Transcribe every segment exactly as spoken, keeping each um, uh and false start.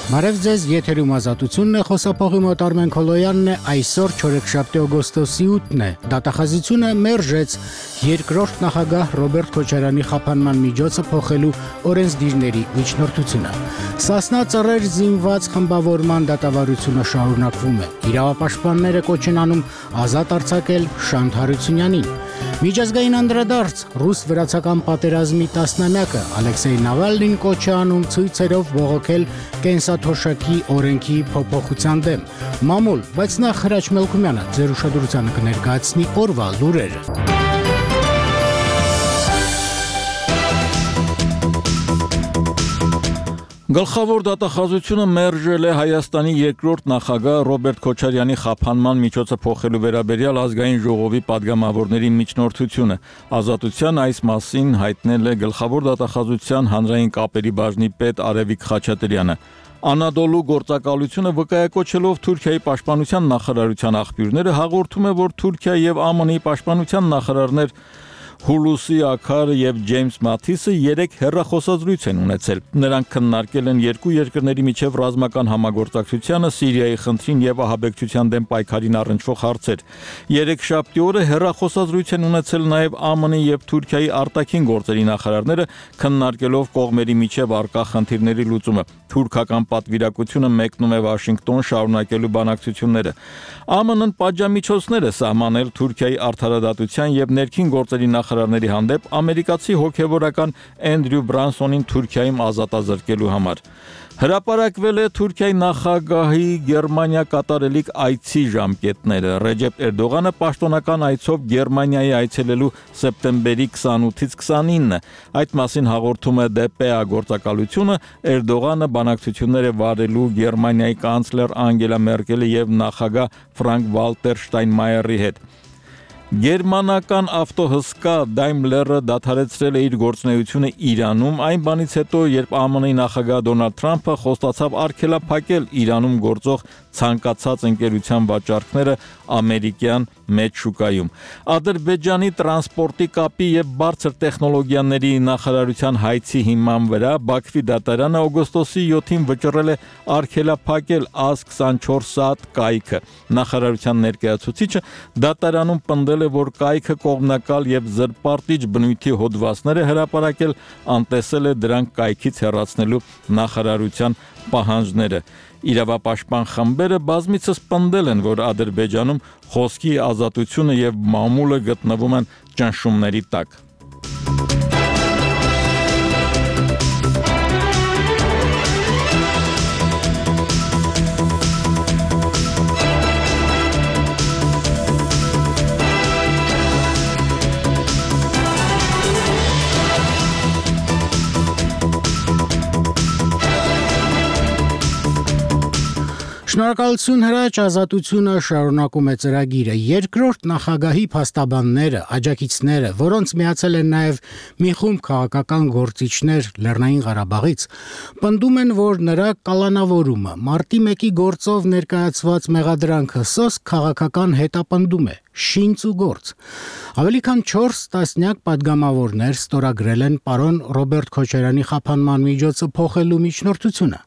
Բարև ձեզ, եթերում Ազատությունն է, խոսափողի մոտ Արմեն Քոլոյանն է, այսօր չորեքշաբթի օգոստոսի ութն է, դատախազությունը մերժեց երկրորդ նախագահ Ռոբերտ Քոչարյանի խափանման միջոցը փոխելու օրենսդիրների միջնորդությունը։ Սասնա ծռեր զինված խմբավորման դատավարությունը շարունակվում է, իրավապաշտպանները կոչ են անում ազատ արձակել Շանթ Հարությունյանին։ Միջազգային անդրադարձ ռուս-վրացական պատերազմի տասնամյակը Ալեքսեյ Նավալնին կոչ է անում ցույցերով բողոքել կենսաթոշակի օրենքի փոփոխության դեմ։ Մամուլ, բայց նախ Հրաչ Մելքումյանը ձեր ուշադրությանը կներկայացնի օրվա լուրերը։ Գլխավոր դատախազությունը մերժել է Հայաստանի երկրորդ նախագահ Ռոբերտ Քոչարյանի խափանման միջոցը փոխելու վերաբերյալ ազգային ժողովի падգամավորների միջնորդությունը։ Ազատության այս մասին հայտնել է Գլխավոր դատախազության հանրային կապերի բաժնի պետ Արևիկ Խաչատրյանը։ Անադոլու գործակալությունը վկայակոչելով Թուրքիայի պաշտպանության նախարարության աղբյուրները հաղորդում է, որ Թուրքիա եւ ԱՄՆ-ի պաշտպանության նախարարներ Հուլուսի Աքարը եւ Ջեյմս Մաթիսը երեք հեռախոսազրույց են ունեցել։ Նրանք քննարկել են երկու երկրների միջև ռազմական համագործակցությանը, Սիրիայի խնդրին եւ ահաբեկչության դեմ պայքարին առնչվող հարցեր։ Երեքշաբթի օրը հեռախոսազրույց են ունեցել նաեւ ԱՄՆ-ի եւ Թուրքիայի արտաքին գործերի նախարարները, քննարկելով կողմերի միջև առկա խնդիրների լուծումը։ Թուրքական պատվիրակությունը մեկնում է Վաշինգտոն շարունակելու բանակցությունները։ ԱՄՆ-ն պատժամիջոցներ է սահմանել Թուրքիայի արդարադատության եւ ներքին գործերի նախարարների հանդեպ ամերիկացի հոգեվորական Էնդրյու Բրանսոնին Թուրքիայում ազատազրկելու համար։ Հրապարակվել է Թուրքիայի նախագահի Գերմանիա կատարելիք այցի ժամկետները։ Ռեջեփ Էրդողանը պաշտոնական այցով Գերմանիայի այցելելու սեպտեմբերի քսանութից քսանինը։ Այդ մասին հաղորդում է դե պե ա գործակալությունը։ Էրդողանը բանակցություններ է վարելու Գերմանիայի կանցլեր Անգելա Մերկելի եւ նախագահ Ֆրանկ Վալտեր Շտայնմայերի հետ։ Գերմանական ավտոհսկա Daimler-ը դադարեցրել է իր գործունեությունը Իրանում, այն բանից հետո, երբ ԱՄՆ-ի նախագահ Դոնալդ Թրամփը խոստացավ արգելափակել Իրանում գործող ցանկացած ընկերության վաճառքները ամերիկյան մեծ շուկայում։ Ադրբեջանի տրանսպորտի կապի եւ բարձր տեխնոլոգիաների նախարարության հայցի հիման վրա Բաքվի դատարանը օգոստոսի յոթին վճռել է արգելափակել ԱԶ քսանչորս սատ կայքը։ Նախարարության ներկայացուցիչը դատարանում պնդել է, որ կայքը կողմնակալ եւ զրպարտիչ բնույթի հոդվածներ է հրապարակել, անտեսել է դրանք կայքից հեռացնելու նախարարության պահանջները։ Իրավապաշտպան խմբերը բազմիցս պնդել են, որ Ադրբեջանում խոսքի ազատությունը եւ մամուլը գտնվում են ճնշումների տակ։ Շնորհակալություն Հրաչ, Ազատությունը շարունակում է ծրագիրը։ Երկրորդ նախագահի փաստաբանները, աջակիցները, որոնց միացել են նաև մի խումբ քաղաքական գործիչներ Լեռնային Ղարաբաղից, պնդում են, որ նրա կալանավորումը, մարտի մեկի գործով ներկայացված մեղադրանքը սոսկ քաղաքական հետապնդում է, շինց ու գործ։ Ավելի քան չորս տասնյակ падգամավորներ ստորագրել են պարոն Ռոբերտ Քոչարյանի խափանման միջոցը փոխելու միջնորդությունը։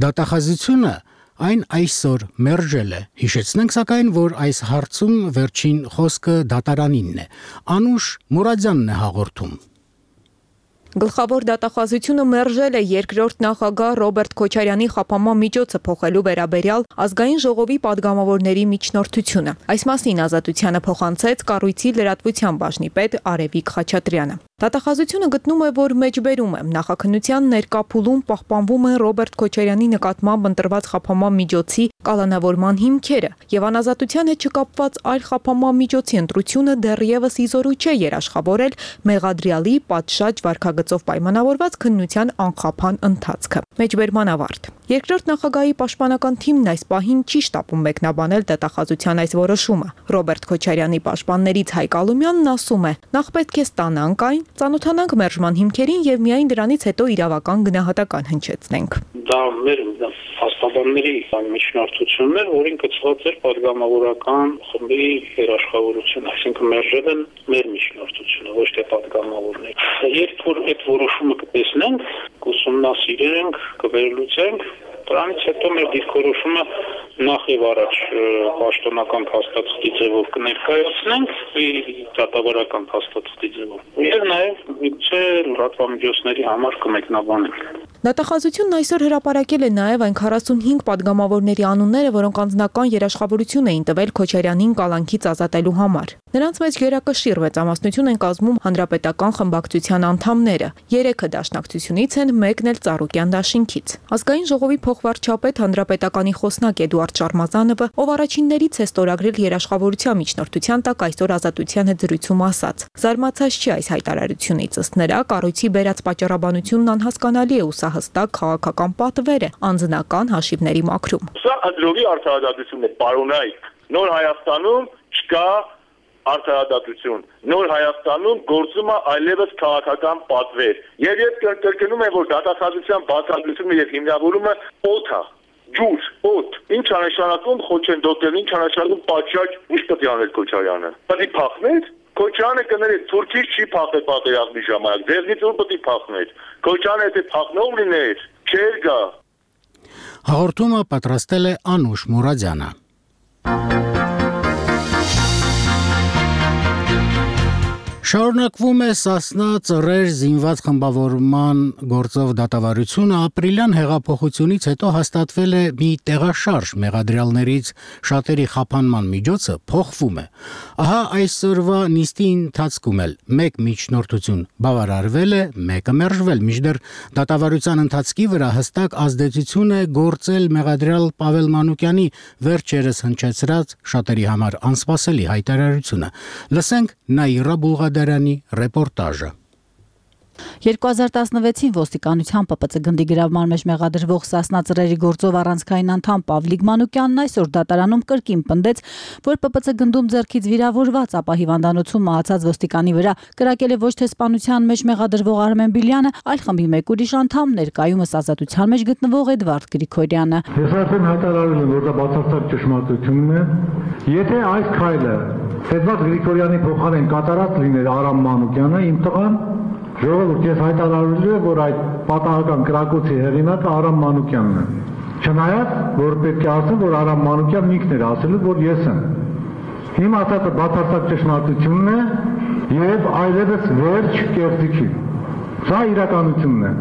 Դատախազությունը այն այսօր մերժել է։ Հիշեցնենք սակայն, որ այս հարցում վերջին խոսքը դատարանինն է։ Անուշ Մուրադյանն է հաղորդում։ Գլխավոր դատախազությունը մերժել է երկրորդ նախագահ Ռոբերտ Քոչարյանի խափանման միջոցը փոխելու վերաբերյալ ազգային ժողովի падգամավորների միջնորդությունը։ Այս մասին Ազատությանը փոխանցեց կառույցի լրատվության բաժնի պետ Արևիկ Խաչատրյանը։ Դատախազությունը գտնում է, որ մեջբերում է նախաքննության ներկա փուլում պահպանվում են Ռոբերտ Քոչարյանի նկատմամբ ընտրված խափանման միջոցի կալանավորման հիմքերը եւ անազատության հետ չկապված այլ խափանման միջոցի ընտրությունը դեռևս իզորու չէ երաշխավորել մեղադրյալի պատշաճ վարքագծով պայմանավորված քննության անխափան ընթացքը։ Մեջբերման ավարտ։ Երկրորդ նախագահի պաշտպանական թիմն այս պահին չի շտապում մեկնաբանել դատախազության այս որոշումը։ Ռոբերտ Քոչարյանի պաշտպաններից Հայկ Ալումյանն ասում է. «Նախ պետք է ստանանք այն, ծանոթանանք մերժման հիմքերին եւ միայն դրանից հետո իրավական գնահատական հնչեցնենք»։ Դա մեր փաստաբանների միջնորդությունն էր, որին կցված էր падգամավորական խմբի երաշխավորություն, այսինքն մերժել են մեր միջնորդությունը, ոչ թե падգամավորները։ Երբ որ այդ որոշումը կտեսնենք, կուսումնասիրենք, կվերլուծենք, Դրանից հետո մեր դիրքորոշումը նախ եւ առաջ պաշտոնական փաստաթղթի ձևով կներկայացնենք, դատավարական փաստաթղթի ձևով։ Եվ նաեւ միգուցե լրատվամիջոցների համար կմեկնաբանենք։ Դատախազությունն այսօր հրապարակել է նաև այն քառասունհինգ падգամավորների անունները, որոնք անձնական երաշխավորություն էին տվել Քոչարյանին կալանքից ազատելու համար։ Նրանց մեջ գերակշիռ մեծամասնություն են կազմում հանրապետական խմբակցության անդամները, երեքը դաշնակցությունից են, մեկն էլ Ծառուկյան դաշինքից։ Ազգային ժողովի փոխվարչապետ հանրապետականի խոսնակ Էդուարդ Շարմազանովը, ով առաջիններից է ստորագրել երաշխավորության միջնորդության տակ այսօր Ազատության հետ զրույցում ասաց. Զարմացած չի այս հայտարարությունից, ըստ նրա կառույցի բերած պատճառաբանությունն անհասկանալի է ու սա հստակ քաղաքական պատվեր է անձնական հաշիվների մաքրում։ Սա ըդրովի արդարադատություն է, պարոնայք։ Նոր Հայաստանում չկա արդարադատություն։ Նոր Հայաստանում գործում է այլևս քաղաքական պատվեր։ Եվ ես կրկնում եմ, որ դատախազության բացատրությունը եւ հիմնավորումը օդ է, ջուր, օդ։ Ինչ է նշանակում խոչընդոտել, ինչ է նշանակում պատշաճ, ինչ պետք է անել Քոչարյանը։ Պետք է փախներ։ Քոչարյանը կների Թուրքից չի փախել պատերազմի ժամանակ, ձեզնից ուր պետք է փախներ։ Քոչարյանը եթե փախնող լիներ, չէր գա։ Հաղորդումը պատրաստել է Անուշ Մուրադյանը։ Շարունակվում է Սասնա ծռեր զինված խմբավորման գործով դատավարությունը ապրիլյան հեղափոխությունից հետո հաստատվել է մի տեղաշարժ մեղադրյալներից շատերի խափանման միջոցը փոխվում է։ Ահա այսօրվա նիստի ընթացքում էլ մեկ միջնորդություն բավարարվել է, մեկը մերժվել, մինչդեռ դատավարության ընթացքի վրա հստակ ազդեցություն է գործել մեղադրյալ Պավել Մանուկյանի վերջերս հնչեցրած շատերի համար անսպասելի հայտարարությունը։ Լսենք Նաիրա Բուլղադարյանի ռեպորտաժը։ երկու հազար տասնվեցին ոստիկանության Պ Պ Ց գնդի գրավման մեջ մեղադրվող Սասնա ծռերի գործով առանցքային անդամ Պավլիկ Մանուկյանն այսօր դատարանում կրկին պնդեց, որ Պ Պ Ց գնդում ձեռքից վիրավորված, ապա հիվանդանոցում մահացած ոստիկանի վրա կրակել է ոչ թե սպանության մեջ մեղադրվող Արմեն Բիլյանը, այլ խմբի մեկ ուրիշ անդամ, ներկայումս ազատության մեջ գտնվող Էդվարդ Գրիգորյանը։ Ես արդեն հայտարարել եմ, որ դա բացարձակ ճշմարտությունն է։ Եթե այս քայլը Էդվարդ Գրիգորյանի փոխարեն կատարած լիներ Արամ Մանուկյանը, իմ տղան, ժողովուրդ, ես հայտարարել եմ, որ այդ պատահական կրակոցի հեղինակը Արամ Մանուկյանն է։ Չնայած, որ պետք է ասեմ, որ Արամ Մանուկյանն ինքն էր ասել, որ ես եմ։ Իմ ասածը բացարձակ ճշմարտությունն է եւ այլևս վերջ կեղծիքի։ Սա իրականությունն է։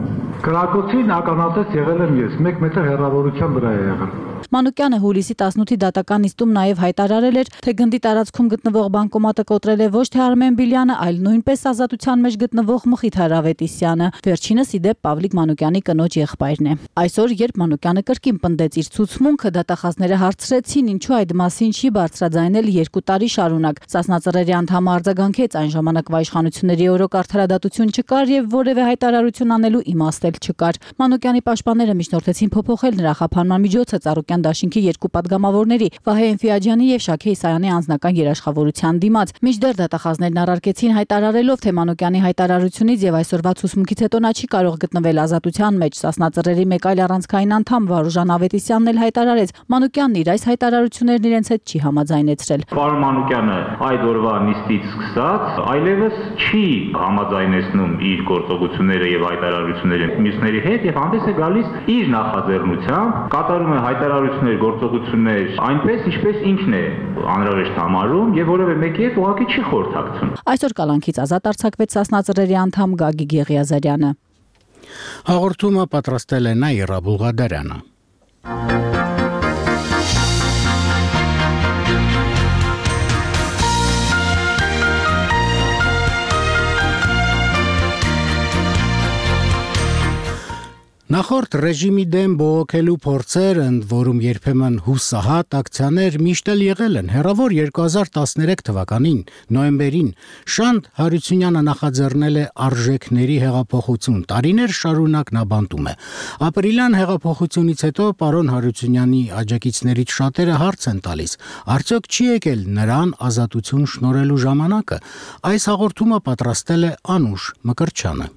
Կրակոցին ականատես եղել եմ ես, մեկ մետր հեռավորության վրա է եղել։ Մանուկյանը հուլիսի տասնութի դատական նիստում նաև հայտարարել էր, թե գնդի տարածքում գտնվող բանկոմատը կոտրել է ոչ թե Արմեն Բիլյանը, այլ նույնպես ազատության մեջ գտնվող Մխիթ Հարավետիսյանը։ Վերջինս ի դեպ Պավլիկ Մանուկյանի կնոջ եղբայրն է։ Այսօր, երբ Մանուկյանը կրկին պնդեց իր ցուցմունքը, դատախազները հարցրեցին, ինչու այդ մասին չի բարձրաձայնել երկու տարի շարունակ։ Սասնա ծռերի անդամը արձագանքեց, այն ժամանակվա իշխանությունների օրոք արդարադատություն չկար եւ որևէ հայտարարություն անելու իմաստ էլ չկար։ Մանուկյանի պաշտպանները միջնորդեցին փոփոխել նրա խափանման միջոցը Ծառուկյան դաշինքի երկու падգամավորների Վահե Էնֆիաջյանի եւ Շաքե Իսայանի անձնական երաշխավորության դիմաց։ Մինչդեռ դատախազներն առարկեցին հայտարարելով, թե Մանուկյանի հայտարարությունից եւ այսօրվա ցուսմունքից հետո նա չի կարող գտնվել ազատության մեջ։ Սասնա ծռերի մեկ այլ առանցքային անդամ Վարուժան Ավետիսյանն էլ հայտարարեց, Մանուկյանն իր այս հայտարարություններն իրենց հետ չի համաձայնեցրել։ Պարոն Մանուկյանը այդ օրվա նիստից սկսած այլևս չի համաձայնեցնում իր գործողությունները եւ հայտարարությունները մյուսների հետ եւ հանդես է գալիս իր նախաձեռնությամբ, կատարում է հայտարարություններ, գործողություններ այնպես, ինչպես ինքն է անհրաժեշտ համարում եւ որևէ մեկի հետ ուղղակի չի խորհրդակցում։ Այսօր կալանքից ազատ արձակվեց Սասնա ծռերի անդամ Գագիկ Եղիազարյանը։ Հաղորդումը պատրաստել է Նաիրա Բուլղադարյանը։ Նախորդ ռեժիմի դեմ բողոքելու փորձեր, ընդ որում երբեմն հուսահատ ակցիաներ միշտ էլ եղել են։ Հեռավոր երկու հազար տասներեք թվականին նոյեմբերին Շանթ Հարությունյանը նախաձեռնել է արժեքների հեղափոխություն։ Տարիներ շարունակ նա բանտում է։ Ապրիլյան հեղափոխությունից հետո պարոն Հարությունյանի աջակիցներից շատերը հարց են տալիս. արդյոք չի եկել նրան ազատություն շնորհելու ժամանակը։ Այս հաղորդումը պատրաստել է Անուշ Մկրտչյանը։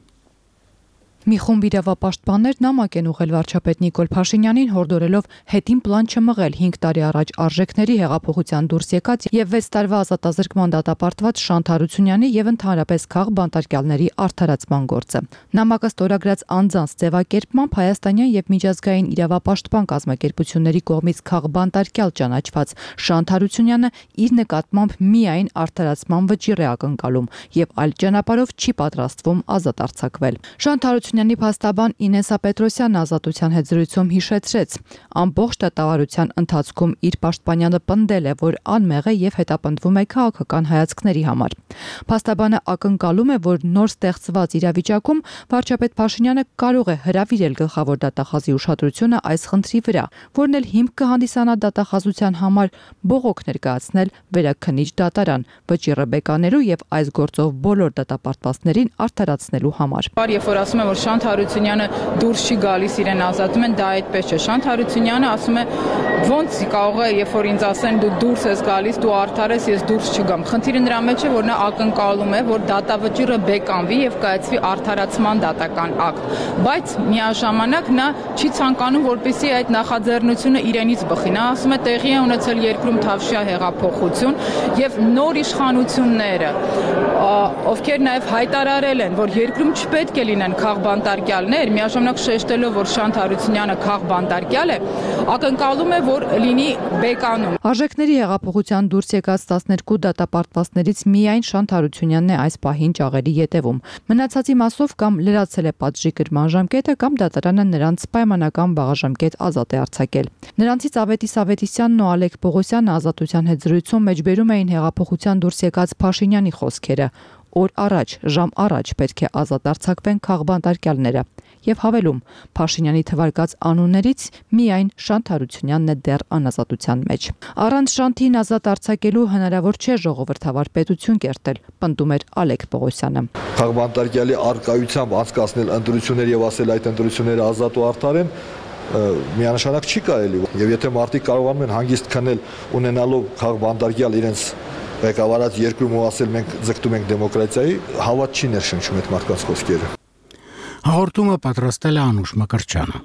Մի խումբ իրավապաշտպաններ նամակ են ուղղել վարչապետ Նիկոլ Փաշինյանին հորդորելով հետին պլան չմղել հինգ տարի առաջ արժեքների հեղափոխության դուրս եկած եւ վեց տարվա ազատազրկման դատապարտված Շանթ Հարությունյանի եւ ընդհանրապես քաղ բանտարկյալների արդարացման գործը։ Նամակը ստորագրած անձանց ձևակերպմամբ հայաստանյան եւ միջազգային իրավապաշտպան կազմակերպությունների կողմից քաղ բանտարկյալ ճանաչված Շանթ Հարությունյանը իր նկատմամբ միայն արդարացման վճիռ է ակնկալում եւ այլ ճանապարհով չի պատրաստվում ազատ արձակվել։ Շանթ Հարությունյանի փաստաբան Ինեսա Պետրոսյանը ազատության հետ զրույցում հիշեցրեց. ամբողջ դատավարության ընթացքում իր պաշտպանյանը պնդել է, որ անմեղ է եւ հետապնդվում է քաղաքական հայացքների համար։ Փաստաբանը ակնկալում է, որ նոր ստեղծված իրավիճակում վարչապետ Փաշինյանը կարող է հրավիրել գլխավոր դատախազի ուշադրությունը այս խնդրի վրա, որն էլ հիմք կհանդիսանա դատախազության համար բողոք ներկայացնել վերաքննիչ դատարան, վճիռը բեկանելու եւ այս գործով բոլոր դատապարտվածներին արդարացնելու համար։ Երբ որ ասում են, որ Շանթ Հարությունյանը դուրս չի գալիս, իրեն ազատում են, դա այդպես չէ։ Շանթ Հարությունյանը ասում է, ոնց կարող է, երբ որ ինձ ասեն դու դուրս ես գալիս, դու արդար ես, ես դուրս չգամ։ Խնդիրը նրա մեջ է, որ նա ակնկալում է, որ դատավճիռը բեկանվի եւ կայացվի արդարացման դատական ակտ։ Բայց միաժամանակ նա չի ցանկանում, որպեսզի այդ նախաձեռնությունը իրենից բխի։ Նա ասում է, տեղի է ունեցել երկրում Թավշյա հեղափոխություն եւ նոր իշխանությունները, ովքեր նաեւ հայտարարել են, որ երկրում չպետք է լինեն քաղբանտարկյալներ, միաժամանակ շեշտելով, որ Շանթ Հարությունյանը քաղբանտարկյալ է, ակնկալում է, որ լինի բեկանում։ Արժեքների հեղափոխության դուրս եկած տասներկու դատապարտվածներից միայն Շանթ Հարությունյանն է այս պահին ճաղերի ետևում։ Մնացածի մասով կամ լրացել է պատժի կրման ժամկետը, կամ դատարանը նրանց պայմանական բաղաժամկետ ազատ է արձակել։ Նրանցից Ավետիս Ավետիսյանն ու Ալեք Պողոսյանը ազատության հետ զրույցում մեջբերում էին հեղափոխության դուրս եկած Փաշինյանի խոսքերը։ Օր առաջ, ժամ առաջ պետք է ազատ արձակվեն քաղբանտարկյալները եւ հավելում Փաշինյանի թվարկած անուններից միայն Շանթ Հարությունյանն է դեռ անազատության մեջ։ Առանց Շանթին ազատ արձակելու հնարավոր չէ ժողովրդավար պետություն կերտել, պնդում էր Ալեք Պողոսյանը։ Քաղբանտարկյալի արկայությամբ անցկացնել ընտրություններ եւ ասել այդ ընտրությունները ազատ ու արդար են միանշանակ չի կարելի եւ եթե մարդիկ կարողանում են հանգիստ քնել ունենալով քաղբանտարկյալ իրենց ղեկավարած երկրում ու ասել մենք ձգտում ենք դեմոկրատիայի, հավատ չի ներշնչում այդ մարդկանց խոսքերը։ Հաղորդումը պատրաստել է Անուշ Մկրտչյանը։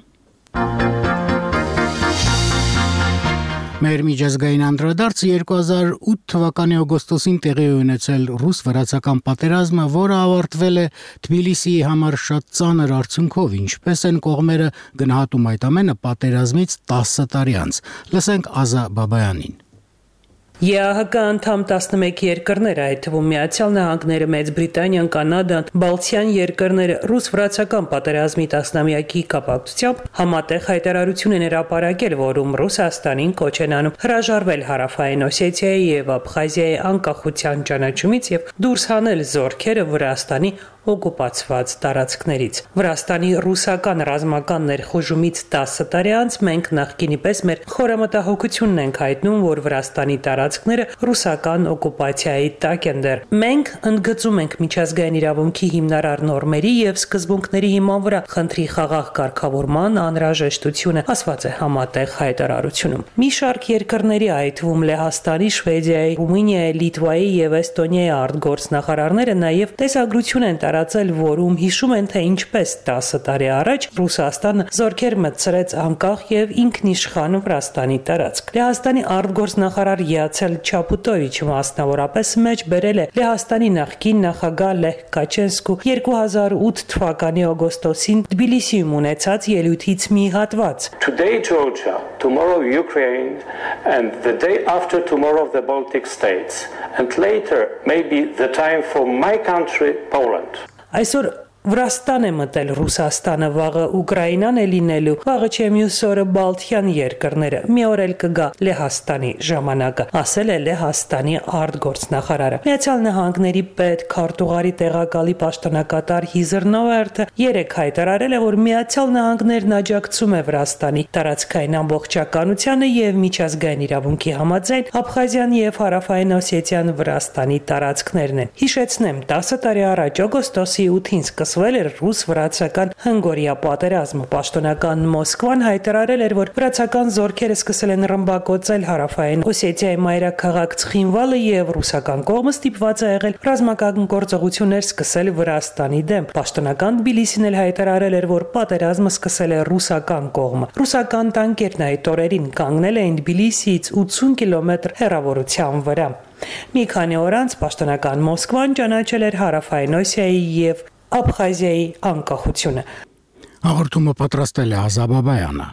Մեր միջազգային անդրադարձը երկու հազար ութ թվականի օգոստոսին տեղի ունեցել ռուս-վրացական պատերազմը, որը ավարտվել է Թբիլիսիի համար շատ ծանր արդյունքով, ինչպես են կողմերը գնահատում այդ ամենը պատերազմից տասը տարի անց։ Լսենք Ազա Բաբայանին։ ԵԱՀԿ անդամ տասնմեկ երկրներ, այդ թվում Միացյալ Նահանգները, Մեծ Բրիտանիան, Կանադան, Բալթյան երկրները ռուս-վրացական պատերազմի տասնամյակի կապակցությամբ համատեղ հայտարարություն են հրապարակել, որում Ռուսաստանին կոչ են անում հրաժարվել Հարավային Օսեթիայի եւ Աբխազիայի անկախության ճանաչումից եւ դուրս հանել զորքերը Վրաստանի օկուպացված տարածքներից։ Վրաստանի ռուսական ռազմական ներխուժումից տասը տարի անց մենք նախկինի պես մեր խորամտահոգությունն ենք հայտնում, որ Վրաստանի տարածքները ռուսական օկուպացիայի տակ են դեռ։ Մենք ընդգծում ենք միջազգային իրավունքի հիմնարար նորմերի եւ սկզբունքների հիման վրա խնդրի խաղաղ կարգավորման անհրաժեշտությունը, ասված է համատեղ հայտարարությունում։ Մի շարք երկրների, այդ թվում Լեհաստանի, Շվեդիայի, Ռումինիայի, Լիտվայի եւ Էստոնիայի արտգործնախարարները նաեւ տեսագրություն են տարածել, որում հիշում են, թե ինչպես տասը տարի առաջ Ռուսաստանը զորքեր մտցրեց անկախ եւ ինքնիշխան Վրաստանի տարածք։ Լեհաստանի արտգործնախարար Յացել Չապուտովիչը մասնավորապես մեջ բերել է Լեհաստանի նախկին նախագահ Լեհ Կաչենսկու երկու հազար ութ թվականի օգոստոսին Թբիլիսիում ունեցած ելույթից մի հատված։ Today Georgia, tomorrow Ukraine and the day after tomorrow the Baltic states and later maybe the time for my country Poland. Այսօր Վրաստան է մտել Ռուսաստանը, վաղը Ուկրաինան է լինելու, վաղը չէ մյուս օրը Բալթյան երկրները, մի օր էլ կգա Լեհաստանի ժամանակը, ասել է Լեհաստանի արտգործնախարարը։ Միացյալ Նահանգների պետ քարտուղարի տեղակալի պաշտոնակատար Հիզր Նովերթը երեկ հայտարարել է, որ Միացյալ Նահանգներն աջակցում է Վրաստանի տարածքային ամբողջականությանը եւ միջազգային իրավունքի համաձայն Աբխազիան եւ Հարավային Օսեթիան Վրաստանի տարածքներն են։ Հիշեցնեմ, տասը տարի առաջ օգոստոսի ութին սկսվել էր ռուս-վրացական հնգօրյա պատերազմը։ Պաշտոնական Մոսկվան հայտարարել էր, որ վրացական զորքերը սկսել են ռմբակոծել հարավային Օսեթիայի մայրաքաղաք Ցխինվալը եւ ռուսական կողմը ստիպված է եղել ռազմական գործողություններ սկսել Վրաստանի դեմ։ Պաշտոնական Թբիլիսին էլ հայտարարել էր, որ պատերազմը սկսել է ռուսական կողմը։ Ռուսական տանկերն այդ օրերին կանգնել էին Թբիլիսիից ութսուն կիլոմետր հեռավորության վրա։ Մի քանի օր անց պաշտոնական Մոսկվան ճանաչել էր հարավային Օսիայի եւ Աբխազիայի անկախությունը։ Հաղորդումը պատրաստել է Ազաբ Բաբայանը։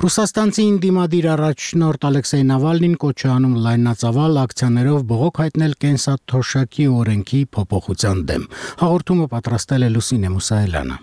Ռուսաստանցի ինդիմադիր առաջնորդ Ալեքսեյ Նավալնին կոչ է անում լայնածավալ ակցիաներով բողոք հայտնել կենսաթոշակի օրենքի փոփոխության դեմ։ Հաղորդումը պատրաստել է Լուսինե Մուսայելյանը։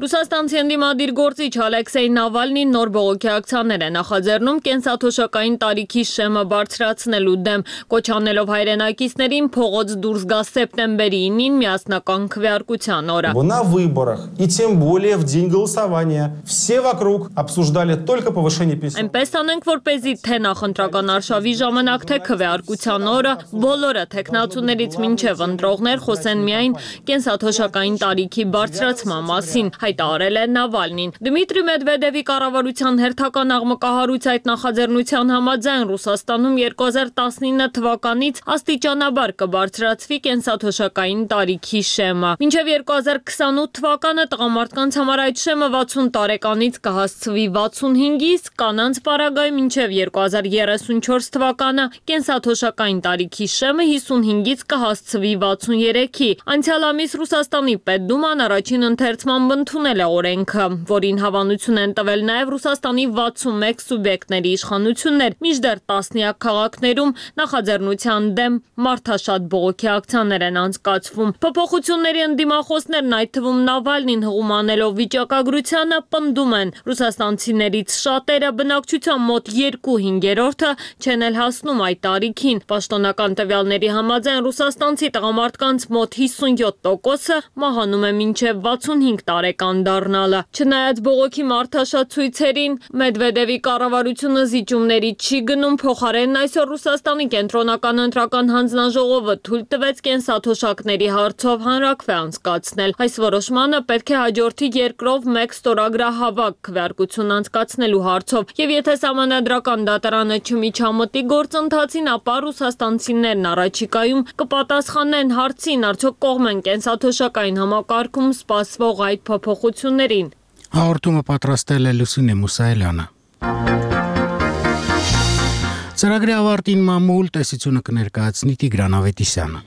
Ռուսաստանցի ընդդիմադիր գործիչ Ալեքսեյ Նավալնին նոր բողոքի ակցիաներ է նախաձեռնում կենսաթոշակային տարիքի շեմը բարձրացնելու դեմ, կոչ անելով հայրենակիցներին փողոց դուրս գա սեպտեմբերի ինին միասնական քվեարկության օրը։ На выборах и тем более в день голосования все вокруг обсуждали только повышение пенсий. Այնպես անենք, որպեսզի թե նախընտրական արշավի ժամանակ, թե քվեարկության օրը բոլորը տեխնացուներից մինչև ընտրողներ խոսեն միայն կենսաթոշակային տարիքի բարձրացման մասին, հայտարարել է Նավալնին։ Դմիտրի Մեդվեդևի կառավարության հերթական աղմկահարույց այդ նախաձեռնության համաձայն Ռուսաստանում երկու հազար տասնինը թվականից աստիճանաբար կբարձրացվի կենսաթոշակային տարիքի շեմը։ Մինչև երկու հազար քսանութ թվականը տղամարդկանց համար այդ շեմը վաթսուն տարեկանից կհասցվի վաթսունհինգի, իսկ կանանց պարագայում մինչև երկու հազար երեսունչորս թվականը կենսաթոշակային տարիքի շեմը հիսունհինգից կհասցվի վաթսուներեքի։ Անցյալ ամիս Ռուսաստանի Պետդուման առաջին ընթերցման ընդունել է օրենքը, որին հավանություն են տվել նաև Ռուսաստանի վաթսունմեկ սուբյեկտների իշխանություններ, մինչդեռ տասնյակ քաղաքներում նախաձեռնության դեմ մարդաշատ բողոքի ակցիաներ են անցկացվում։ Փոփոխությունների ընդդիմախոսներն, այդ թվում Նավալնին հղում անելով վիճակագրությանը, պնդում են ռուսաստանցիներից շատերը բնակչության մոտ երկու հինգերորդը չեն էլ հասնում այդ տարիքին։ Պաշտոնական տվյալների համաձայն ռուսաստանցի տղամարդկանց մոտ հիսունյոթ տոկոսը մահանում է մինչև վաթսունհինգ տարեկան դառնալը։ Չնայած բողոքի մարդաշատ ցույցերին, Մեդվեդևի կառավարությունը զիջումների չի գնում, փոխարենն այսօր Ռուսաստանի կենտրոնական ընտրական հանձնաժողովը թույլ տվեց կենսաթոշակների հարցով հանրաքվե անցկացնել։ Այս որոշմանը պետք է հաջորդի երկրով մեկ ստորագրահավաք քվեարկություն անցկացնելու հարցով, եւ եթե սահմանադրական դատարանը չմիջամտի գործընթացին, ապա ռուսաստանցիներն առաջիկայում կպատասխանեն հարցին, արդյոք կողմ են կենսաթոշակային համակարգում սպասվող այդ փոփոխություններին։ Հաղորդումը պատրաստել է Լուսինե Մուսայելյանը։ Ծրագրի ավարտին մամուլ տեսությունը կներկայացնի Տիգրան Ավետիսյանը։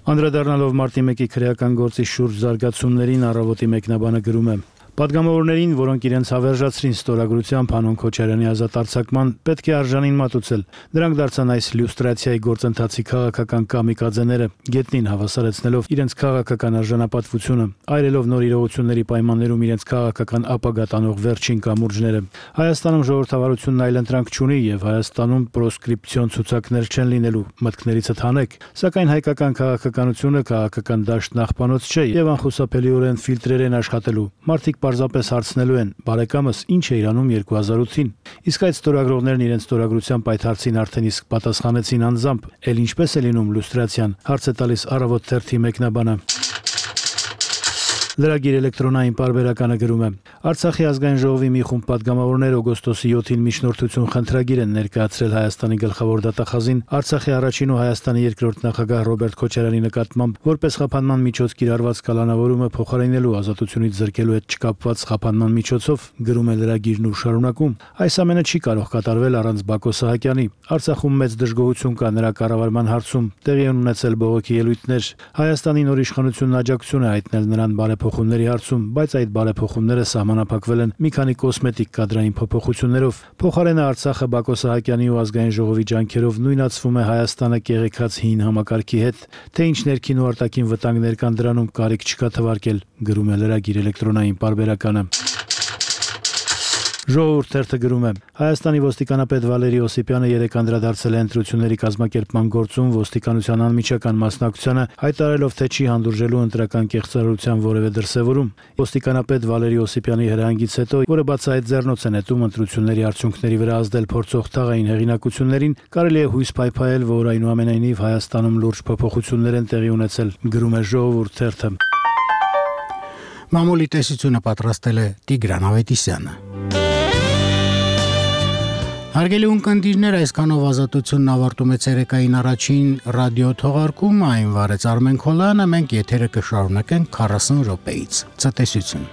Անդրադառնալով մարտի մեկի քրեական գործի շուրջ զարգացումներին առավոտի մեկնաբանը գրում է. Պատգամավորներին, որոնք իրենց հավերժացրին ստորագրությամբ Հանուն Քոչարյանի ազատ արձակման, պետք է արժանին մատուցել։ Դրանք դարձան այս լյուստրացիայի գործընթացի քաղաքական կամիկաձեները, գետնին հավասարեցնելով իրենց քաղաքական արժանապատվությունը, այրելով նոր իրողությունների պայմաններում իրենց քաղաքական ապագա տանող վերջին կամուրջները։ Հայաստանում ժողովրդավարությունն այլընտրանք չունի եւ Հայաստանում պրոսկրիպցիոն ցուցակներ չեն լինելու, մտքներիցդ հանեք, սակայն հայկական քաղաքականությունը քաղաքական դաշտ նախպանոց չէ եւ անխուսափելիորեն ֆիլտրեր են աշխատելու։ Մարդիկ պարզապես հարցնելու են. բարեկամս ինչ է իրանում երկու հազար ութին։ Իսկ այդ ստորագրողներն իրենց ստորագրությամբ այդ հարցին արդեն իսկ պատասխանեցին անձամբ, էլ ինչպես է լինում լյուստրացիան, հարց է տալիս Առավոտ թերթի մեկնաբանը։ Լրագիր էլեկտրոնային պարբերականը գրում է. Արցախի ազգային ժողովի մի խումբ պատգամավորներ օգոստոսի յոթին միջնորդություն խնդրագիր են ներկայացրել Հայաստանի գլխավոր դատախազին Արցախի առաջին ու Հայաստանի երկրորդ նախագահ Ռոբերտ Քոչարյանի նկատմամբ որպես խափանման միջոց կիրառված կալանավորումը փոխարինելու ազատությունից զրկելու հետ չկապված խափանման միջոցով, գրում է լրագիրն ու շարունակում. Այս ամենը չի կարող կատարվել առանց Բակո Սահակյանի։ Արցախում մեծ դժգոհություն կա նրա կառավարման հարցում, տեղի են ունեցել բողոքի ելույթներ։ Հայաստանի նոր իշխանությունն աջակցություն է հայտնել նրան բարեփոխումների հարցում, բայց այդ բարեփոխումները սահմանափակվել են մի քանի կոսմետիկ կադրային փոփոխություններով։ Փոխարենը Արցախը Բակո Սահակյանի ու ազգային ժողովի ջանքերով նույնացվում է Հայաստանը կեղեքած հին համակարգի հետ, թե ինչ ներքին ու արտաքին վտանգներ կան դրանում կարիք չկա թվարկել, գրում է լրագիր էլեկտրոնային պարբերականը։ Ժողովուրդ թերթը գրում է. Հայաստանի ոստիկանապետ Վալերի Օսիպյանը երեկ անդրադարձել է ընտրությունների կազմակերպման գործում ոստիկանության անմիջական մասնակցությանը, հայտարարելով, թե չի հանդուրժելու ընտրական կեղծարարության որևէ դրսևորում։ Ոստիկանապետ Վալերի Օսիպյանի հրահանգից հետո, որը բացահայտ ձեռնոց է նետում ընտրությունների արդյունքների վրա ազդել փորձող թաղային հեղինակություններին, կարելի է հույս փայփայել, որ այնուամենայնիվ Հայաստանում լուրջ փոփոխություններ են տեղի ունեցել, գրում է Ժողովուրդ թերթը։ Մամուլի տեսությունը պատրաստել է Տիգրան Ավետիսյանը։ Հարգելի ունկնդիրներ, այսքանով ազատությունն ավարտում է ցերեկային առաջին ռադիո թողարկումը, այն վարեց Արմեն Քոլյանը, մենք եթերը կշարունակենք քառասուն րոպեից։ Ցտեսություն։